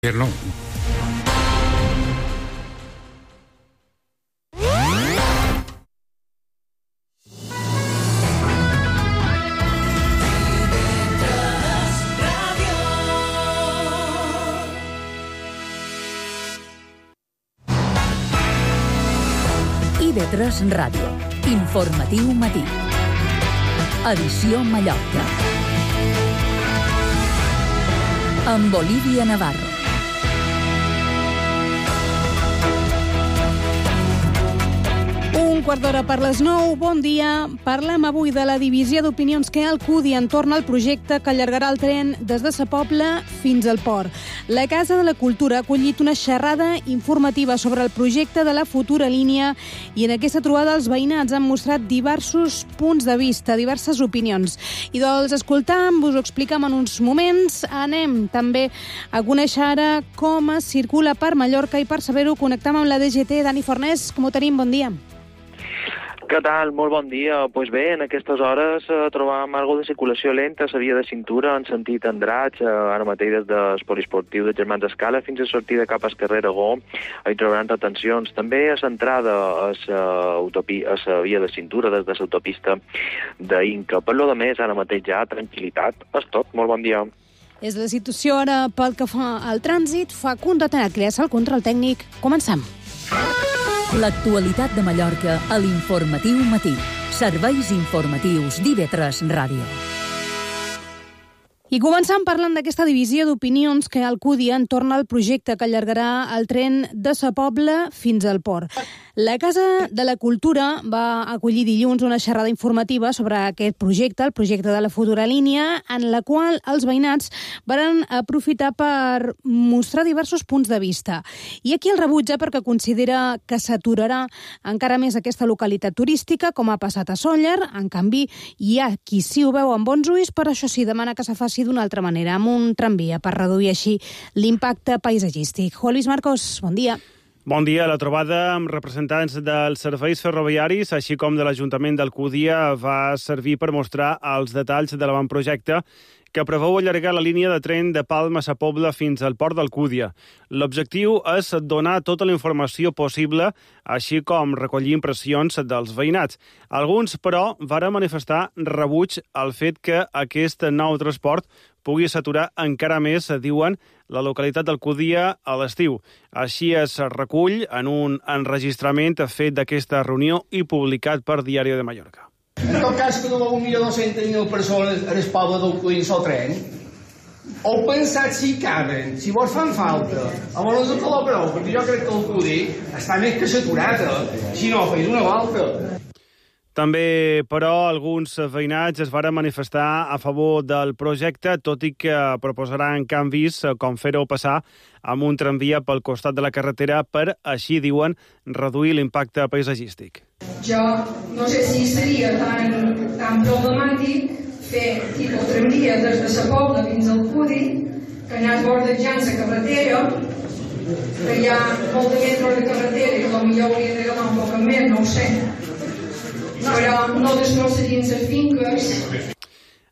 gobierno. IB3 Ràdio. Informatiu matí. Edició Mallorca. Amb Olivia Navarro. Un quart d'hora per les 9. Bon dia. Parlem avui de la divisió d'opinions que hi ha al CUDI entorn al projecte que allargarà el tren des de Sa Pobla fins al port. La Casa de la Cultura ha acollit una xerrada informativa sobre el projecte de la futura línia i en aquesta trobada els veïnats han mostrat diversos punts de vista, diverses opinions. I dels escoltam, us ho expliquem en uns moments. Anem també a conèixer ara com es circula per Mallorca i per saber-ho connectem amb la DGT. Dani Fornés, com ho tenim? Bon dia. Què tal? Molt bon dia. Pues bé, en aquestes hores trobàvem alguna de circulació lenta a la via de cintura en sentit Andratx, ara mateix des del poliesportiu de Germans Escala fins a sortida cap al carrer Aragó. Hi trobaran retencions. També a l'entrada a la via de cintura des de l'autopista d'Inca. Per lo de més, ara mateix ja tranquil·litat. És tot. Molt bon dia. És la situació ara pel que fa al trànsit. Fa condetenat crear-se el control tècnic. Comencem. L'actualitat de Mallorca a l'Informatiu Matí. Serveis informatius d'IB3 Ràdio. I començant parlant d'aquesta divisió d'opinions que el CUDI entorn al projecte que allargarà el tren de Sa Pobla fins al port. La Casa de la Cultura va acollir dilluns una xerrada informativa sobre aquest projecte, el projecte de la futura línia, en la qual els veïnats van aprofitar per mostrar diversos punts de vista. I aquí el rebutja perquè considera que s'aturarà encara més aquesta localitat turística, com ha passat a Sóller. En canvi, hi ha qui sí ho veu amb bons ulls, però això sí, demana que se faci d'una altra manera, amb un tramvia, per reduir així l'impacte paisatgístic. Juan Luis Marcos, bon dia. Bon dia. La trobada amb representants dels serveis ferroviaris, així com de l'Ajuntament d'Alcúdia, va servir per mostrar els detalls de l'avantprojecte que preveu allargar la línia de tren de Palma a Sa Pobla fins al port d'Alcúdia. L'objectiu és donar tota la informació possible, així com recollir impressions dels veïnats. Alguns, però, varen manifestar rebuig al fet que aquest nou transport pugui saturar encara més, diuen, la localitat d'Alcúdia a l'estiu. Així es recull en un enregistrament fet d'aquesta reunió i publicat per Diari de Mallorca. En tot cas, que no 1.200.000 persones en el poble d'Alcúdia en el tren, heu pensat si caben, si vos fan falta, a vos no col·laboreu, perquè jo crec que Alcúdia està més que saturat, si no, feis una volta. També, però, alguns veïnats es varen manifestar a favor del projecte, tot i que proposaran canvis, com fer-ho passar amb un tramvia pel costat de la carretera per, així diuen, reduir l'impacte paisatgístic. Jo no sé si seria tan problemàtic fer tipus tramvia des de Sa Pobla fins al CUDI, que anàs bordejant la carretera, que hi ha molta metre de carretera i potser hauria d'agafar un poc més, no ho sé. Però no destrossarien les finques.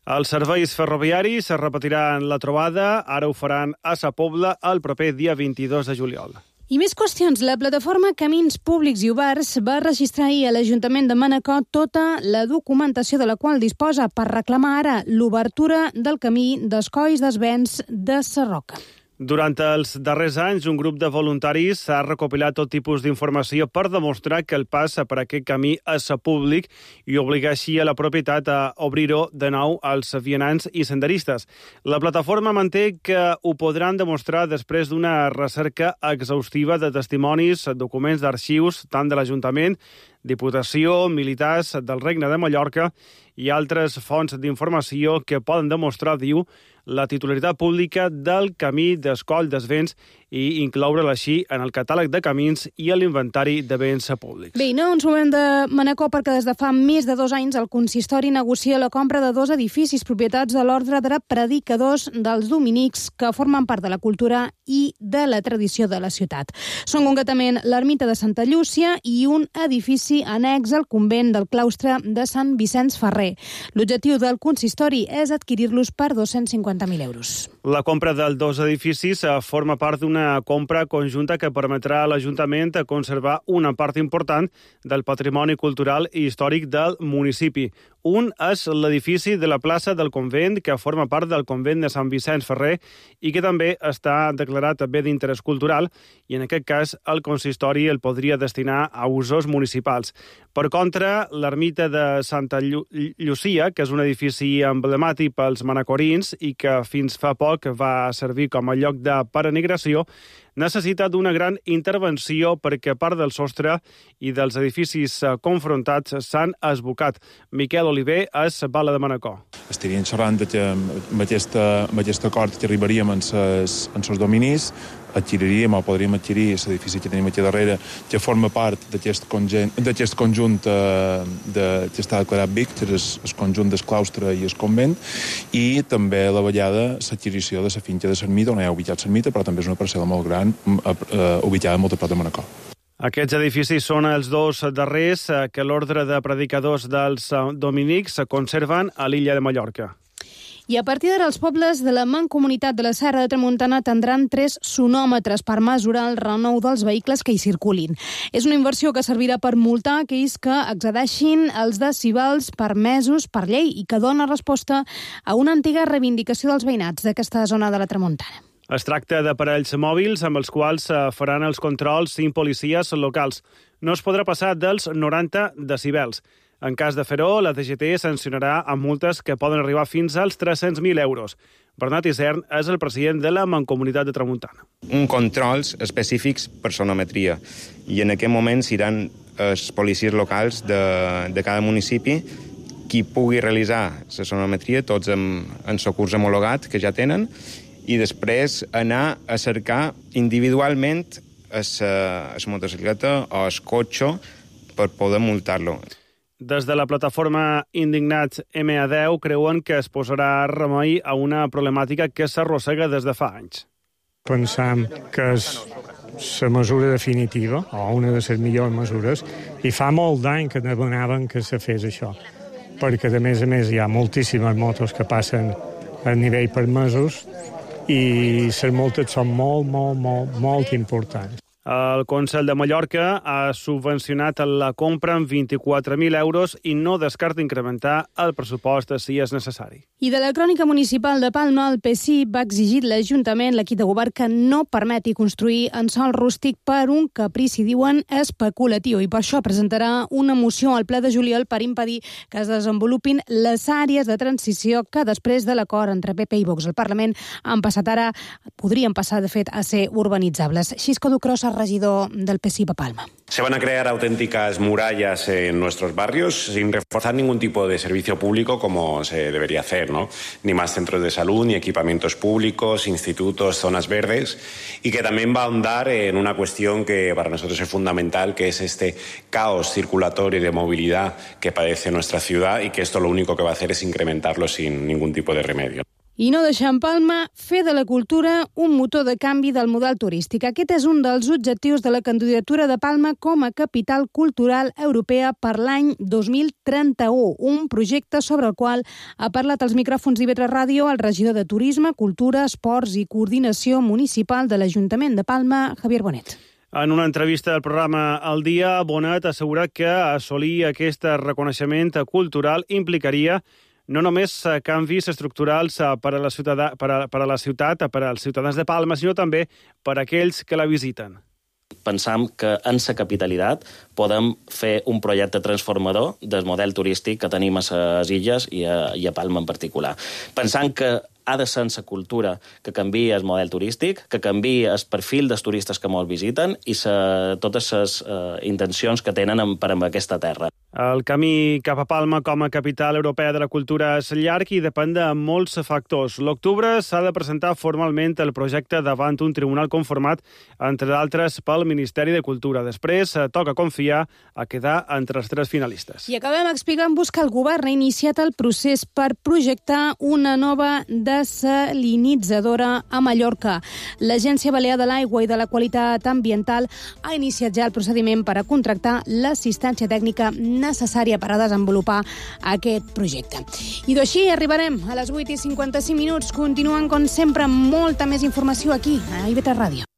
Els serveis ferroviaris es repetiran la trobada, ara ho faran a Sa Pobla el proper dia 22 de juliol. I més qüestions. La plataforma Camins Públics i Oberts va registrar ahir a l'Ajuntament de Manacor tota la documentació de la qual disposa per reclamar ara l'obertura del camí dels Colls dels Vents de Sarroca. Durant els darrers anys, un grup de voluntaris ha recopilat tot tipus d'informació per demostrar que el pas per aquest camí és públic i obligar així a la propietat a obrir-ho de nou als vianants i senderistes. La plataforma manté que ho podran demostrar després d'una recerca exhaustiva de testimonis, documents d'arxius, tant de l'Ajuntament, Diputació, militars del Regne de Mallorca i altres fonts d'informació que poden demostrar, diu, la titularitat pública del camí dels Colls dels Vents i incloure'l així en el catàleg de camins i a l'inventari de béns públics. Bé, no ens movem de Manacor perquè des de fa més de 2 anys el consistori negocia la compra de 2 edificis propietats de l'Ordre de Predicadors dels Dominics que formen part de la cultura i de la tradició de la ciutat. Són concretament l'ermita de Santa Llúcia i un edifici annex al convent del claustre de Sant Vicenç Ferrer. L'objectiu del consistori és adquirir-los per 250.000 euros. La compra dels dos edificis forma part d'una compra conjunta que permetrà a l'Ajuntament conservar una part important del patrimoni cultural i històric del municipi. Un és l'edifici de la plaça del Convent, que forma part del Convent de Sant Vicenç Ferrer i que també està declarat bé d'interès cultural, i en aquest cas el consistori el podria destinar a usos municipals. Per contra, l'ermita de Santa Llucia, que és un edifici emblemàtic pels manacorins i que fins fa poc va servir com a lloc de peregrinació, necessita d'una gran intervenció perquè part del sostre i dels edificis confrontats s'han esbocat. Miquel Oliver és bala de Manacor. Estaríem xerrant que amb aquest acord que arribaríem en els dominis, adquiriríem o podríem adquirir l'edifici que tenim aquí darrere, que forma part d'aquest conjunt que està declarat BIC, que és el conjunt del claustre i el convent, i també a la vegada l'adquisició de la finca de l'ermita, on hi ha ubicat l'ermita, però també és una parcel·la molt gran, ubicada molt a prop de Manacor. Aquests edificis són els dos darrers que l'ordre de predicadors dels dominics conserven a l'illa de Mallorca. I a partir d'ara els pobles de la Mancomunitat de la Serra de Tramuntana tindran 3 sonòmetres per mesurar el renou dels vehicles que hi circulin. És una inversió que servirà per multar aquells que excedeixin els decibels permesos per llei i que dona resposta a una antiga reivindicació dels veïnats d'aquesta zona de la Tramuntana. Es tracta d'aparells mòbils amb els quals faran els controls 5 policies locals. No es podrà passar dels 90 decibels. En cas de fer-ho, la DGT sancionarà amb multes que poden arribar fins als 300.000 euros. Bernat Isern és el president de la Mancomunitat de Tramuntana. Un controls específics per sonometria. I en aquest moment seran els policies locals de cada municipi qui pugui realitzar la sonometria, tots en socurs homologat que ja tenen, i després anar a cercar individualment la motocicleta o el cotxe per poder multar-lo. Des de la plataforma Indignats MA10 creuen que es posarà remei a una problemàtica que s'arrossega des de fa anys. Pensam que és la mesura definitiva, o una de les millors mesures, i fa molt d'any que demanaven que se fes això, perquè a més hi ha moltíssimes motos que passen a nivell permesos i les multes són molt importants. El Consell de Mallorca ha subvencionat la compra amb 24.000 euros i no descarta incrementar el pressupost si és necessari. I de la crònica municipal de Palma, el PSI va exigir a l'Ajuntament, l'equip de govern, que no permeti construir en sòl rústic per un caprici, diuen, especulatiu. I per això presentarà una moció al ple de juliol per impedir que es desenvolupin les àrees de transició que després de l'acord entre PP i Vox al Parlament podrien passar, de fet, a ser urbanitzables. Xisco Ducrosa, regidor del PSI de Palma. Se van a crear auténticas murallas en nuestros barrios sin reforzar ningún tipo de servicio público como se debería hacer, ¿no? Ni más centros de salud, ni equipamientos públicos, institutos, zonas verdes, y que también va a ahondar en una cuestión que para nosotros es fundamental, que es este caos circulatorio y de movilidad que padece nuestra ciudad, y que esto lo único que va a hacer es incrementarlo sin ningún tipo de remedio. I no deixar en Palma fer de la cultura un motor de canvi del model turístic. Aquest és un dels objectius de la candidatura de Palma com a capital cultural europea per l'any 2031, un projecte sobre el qual ha parlat als micròfons d'IV3 Ràdio el regidor de Turisme, Cultura, Esports i Coordinació Municipal de l'Ajuntament de Palma, Javier Bonet. En una entrevista al programa El Dia, Bonet ha assegurat que assolir aquest reconeixement cultural implicaria no només canvis estructurals per a la ciutat, per als ciutadans de Palma, sinó també per a aquells que la visiten. Pensam que en la capitalitat podem fer un projecte transformador del model turístic que tenim a les illes i a Palma en particular. Pensant que ha de ser la cultura que canvia el model turístic, que canvia el perfil dels turistes que molt visiten i totes les intencions que tenen per a aquesta terra. El camí cap a Palma com a capital europea de la cultura és llarg i depèn de molts factors. L'octubre s'ha de presentar formalment el projecte davant un tribunal conformat, entre d'altres, pel Ministeri de Cultura. Després toca confiar a quedar entre els 3 finalistes. I acabem explicant-vos que el govern ha iniciat el procés per projectar una nova desalinitzadora a Mallorca. L'Agència Balear de l'Aigua i de la Qualitat Ambiental ha iniciat ja el procediment per a contractar l'assistència tècnica necessària per a desenvolupar aquest projecte. I d'així arribarem a les 8:55. Continuen, com sempre, amb molta més informació aquí, a IB3 Ràdio.